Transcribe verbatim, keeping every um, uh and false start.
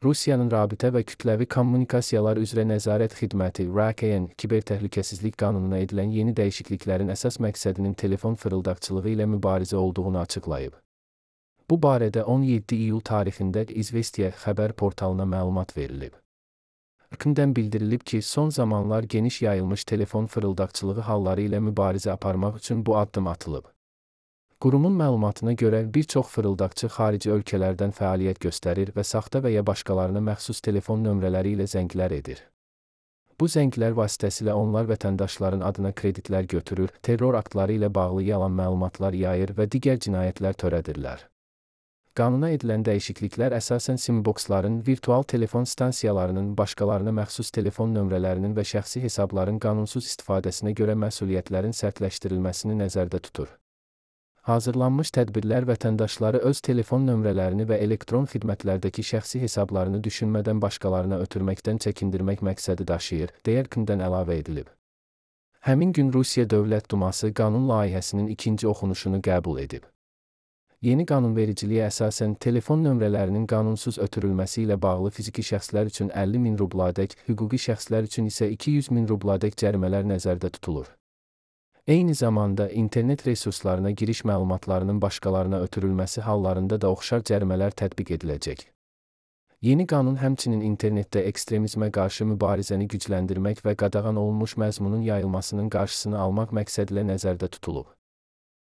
Rusiyanın Rabitə və Kütləvi Kommunikasiyalar üzrə Nəzarət Xidməti R A K N Kibertəhlükəsizlik qanununa edilən yeni dəyişikliklərin əsas məqsədinin telefon fırıldaqçılığı ilə mübarizə olduğunu açıqlayıb. Bu barədə on yeddi iyul tarixində İzvestiya xəbər portalına məlumat verilib. R K N-dən bildirilib ki, son zamanlar geniş yayılmış telefon fırıldaqçılığı halları ilə mübarizə aparmaq üçün bu addım atılıb. Qurumun məlumatına görə bir çox fırıldaqçı xarici ölkələrdən fəaliyyət göstərir və saxta və ya başqalarına məxsus telefon nömrələri ilə zənglər edir. Bu zənglər vasitəsilə onlar vətəndaşların adına kreditlər götürür, terror aktları ilə bağlı yalan məlumatlar yayır və digər cinayətlər törədirlər. Qanuna edilən dəyişikliklər əsasən simboksların, virtual telefon stansiyalarının, başqalarına məxsus telefon nömrələrinin və şəxsi hesabların qanunsuz istifadəsinə görə məsuliyyətlərin sərtləşdirilməsini nəzərdə tutur. Hazırlanmış tədbirlər vətəndaşları öz telefon nömrələrini və elektron xidmətlərdəki şəxsi hesablarını düşünmədən başqalarına ötürməkdən çəkindirmək məqsədi daşıyır, deyə R K N-dən əlavə edilib. Həmin gün Rusiya Dövlət Duması qanun layihəsinin ikinci oxunuşunu qəbul edib. Yeni qanunvericiliyə əsasən telefon nömrələrinin qanunsuz ötürülməsi ilə bağlı fiziki şəxslər üçün əlli min rubladək, hüquqi şəxslər üçün isə iki yüz min rubladək cərimələr nəzərdə tutulur. Eyni zamanda internet resurslarına giriş məlumatlarının başqalarına ötürülməsi hallarında da oxşar cərimələr tətbiq ediləcək. Yeni qanun həmçinin internetdə ekstremizmə qarşı mübarizəni gücləndirmək və qadağan olunmuş məzmunun yayılmasının qarşısını almaq məqsədilə nəzərdə tutulub.